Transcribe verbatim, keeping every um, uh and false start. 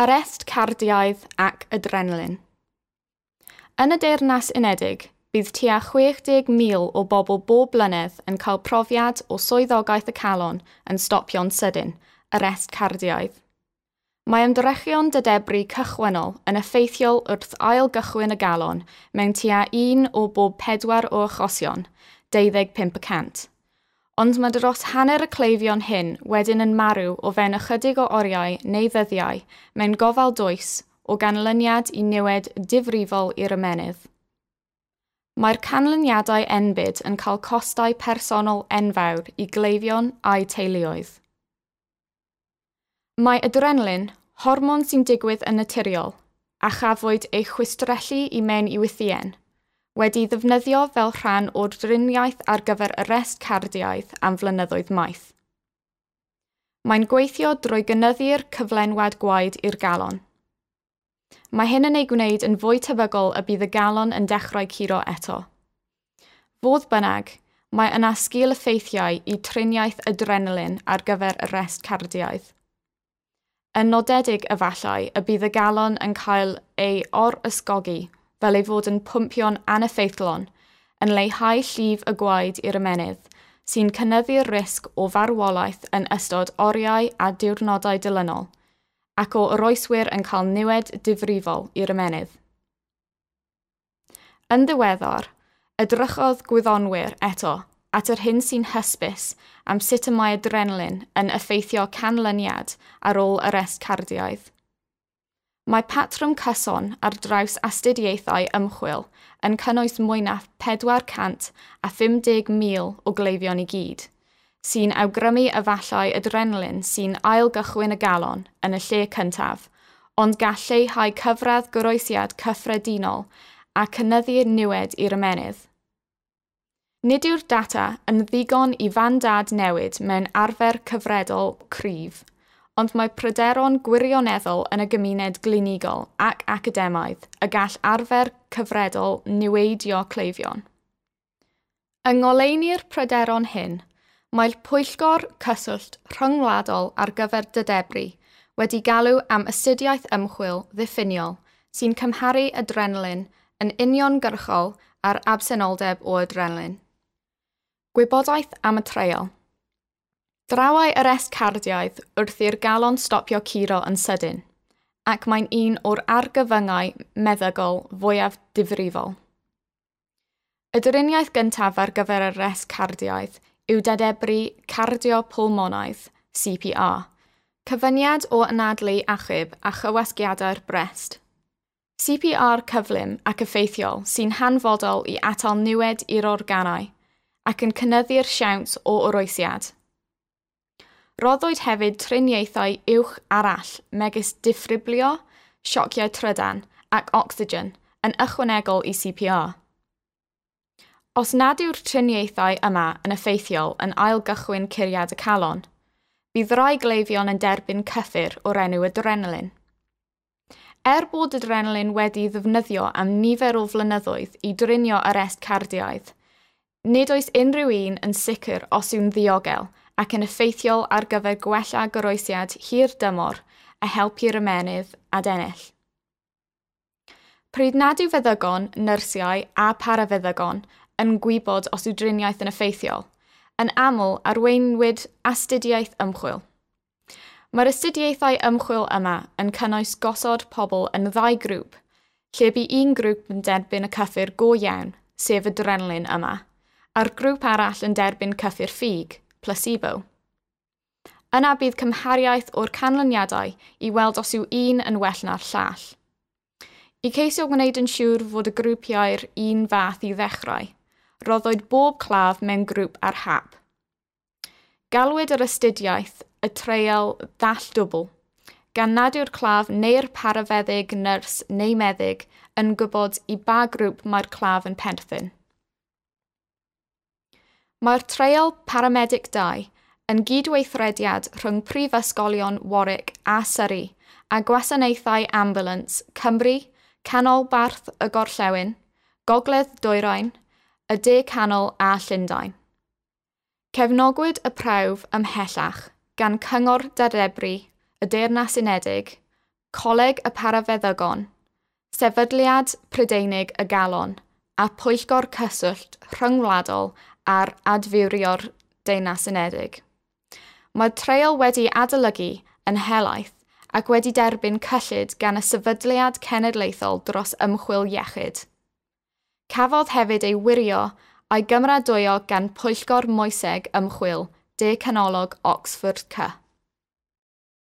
Arest cardiaidd ac adrenalin. Yn y Deyrnas Unedig, bydd tua chwech deg mil o bobl bob blynedd yn cael profiad o swyddogaeth y calon yn stopio'n sydyn, arest cardiaidd. Mae ymdrechion dadebru cychwynnol yn effeithiol wrth ail-gychwyn y galon mewn tua un o bob pedwar o achosion, deuddeg pump y cant. Ond mae dros hanner y cleifion hyn wedyn yn marw o fewn ychydig o oriau neu ddyddiau mewn gofal dwys o ganlyniad i niwed difrifol i'r ymennydd. Mae'r canlyniadau enbyd yn cael costau personol enfawr i gleifion a'u teuluoedd. Mae adrenalin, hormon sy'n digwydd yn naturiol, a chafwyd ei chwistrellu i mewn i wythïen, wedi ddefnyddio fel rhan o'r driniaeth ar gyfer arest cardiaidd am flynyddoedd maith. Mae'n gweithio drwy gynyddu'r cyflenwad gwaed i'r galon. Mae hyn yn ei gwneud yn fwy tebygol y bydd y galon yn dechrau curo eto. Fodd bynnag, mae yna sgil-effeithiau i triniaeth adrenalin ar gyfer arest cardiaidd. Yn nodedig efallai y bydd y galon yn cael ei or-ysgogi fel ei fod yn pwmpio'n aneffeithlon, yn leihau llif y gwaed i'r ymennydd, sy'n cynyddu'r risg o farwolaeth yn ystod oriau a diwrnodau dilynol, ac o oroeswyr yn cael niwed difrifol i'r ymennydd. Yn ddiweddar, edrychodd gwyddonwyr eto at yr hyn sy'n hysbys am sut y mae adrenalin yn effeithio canlyniad ar ôl arest cardiaidd. Mae patrwm cyson ar draws astudiaethau ymchwil yn cynnwys mwy na pedwar cant a phum deg mil o gleifion i gyd, sy'n awgrymu efallai adrenalin sy'n ailgychwyn y galon yn y lle cyntaf, ond gall lleihau cyfradd goroesiad cyffredinol a cynyddu'r niwed i'r ymennydd. Nid yw'r data yn ddigon i fandad newid mewn arfer cyfredol cryf, ond mae pryderon gwirioneddol yn y gymuned glinigol ac academaidd y gall arfer cyfredol niweidio cleifion. Yng ngoleuni'r pryderon hyn, mae'r Pwyllgor Cyswllt Rhyngwladol ar gyfer Dadebru wedi galw am astudiaeth ymchwil ddiffiniol sy'n cymharu adrenalin yn uniongyrchol â'r absenoldeb o adrenalin. Gwybodaeth am y treial. Drawai arest cardiaidd wrth i'r galon stopio curo yn sydyn, ac mae'n un o'r argyfyngau meddygol fwyaf difrifol. Y driniaeth gyntaf ar gyfer arest cardiaidd yw dadebru cardiopulmonaidd, C P R, cyfuniad o anadlu achub a chywasgiadau'r brest. C P R cyflym ac effeithiol sy'n hanfodol i atal niwed i'r organau ac yn cynyddu'r siawns o oroesiad. Roddwyd hefyd triniaethau uwch arall megis diffibrillio, siociau trydan ac ocsigen yn ychwanegol i C P R. Os nad yw'r triniaethau yma yn effeithiol yn ailgychwyn curiad y calon, bydd rai gleifion yn derbyn cyffur o'r enw adrenalin. Er bod adrenalin wedi ddefnyddio am nifer o flynyddoedd i drinio arest cardiaidd, nid oes unrhyw un yn sicr os yw'n ddiogel ac yn effeithiol ar gyfer gwella goroesiad hir dymor a helpu'r ymennydd adennill. Pryd nad yw feddygon, nyrsiau a parafeddygon yn gwybod os yw driniaeth yn effeithiol, yn aml arweinwyd astudiaeth ymchwil. Mae'r astudiaethau ymchwil yma yn cynnwys gosod pobl yn ddau grŵp, lle bu un grŵp yn derbyn y cyffur go iawn, sef adrenalin yma, a'r grŵp arall yn derbyn cyffur ffug, placebo. Yna bydd cymhariaeth o'r canlyniadau i weld os yw un yn well na'r llall. I ceisio gwneud yn siŵr fod y grwpiau'r un fath i ddechrau, roddwyd bob claf mewn grŵp ar hap. Galwyd yr astudiaeth y treial ddall dwbl, gan nad yw'r claf neu'r parafeddyg, nyrs neu meddyg yn gwybod i ba grŵp mae'r claf yn perthyn. Mae'r treial Paramedic dau yn gydweithrediad rhwng prifysgolion Warwick a Surrey a gwasanaethau ambulance Cymru, Canolbarth y Gorllewin, Gogledd Dwyrain, y De Canol a Llundain. Cefnogwyd y prawf ymhellach gan Cyngor Dadebru, y Deyrnas Unedig, Coleg y Parafeddygon, Sefydliad Prydeinig y Galon a Pwyllgor Cyswllt Rhyngwladol ar Adfywio'r Deyrnas Unedig. Mae'r treial wedi adolygu yn helaeth ac wedi derbyn cyllid gan y Sefydliad Cenedlaethol dros Ymchwil Iechyd. Cafodd hefyd ei wirio a'i gymeradwyo gan Pwyllgor Moeseg Ymchwil De Canolog Oxford C.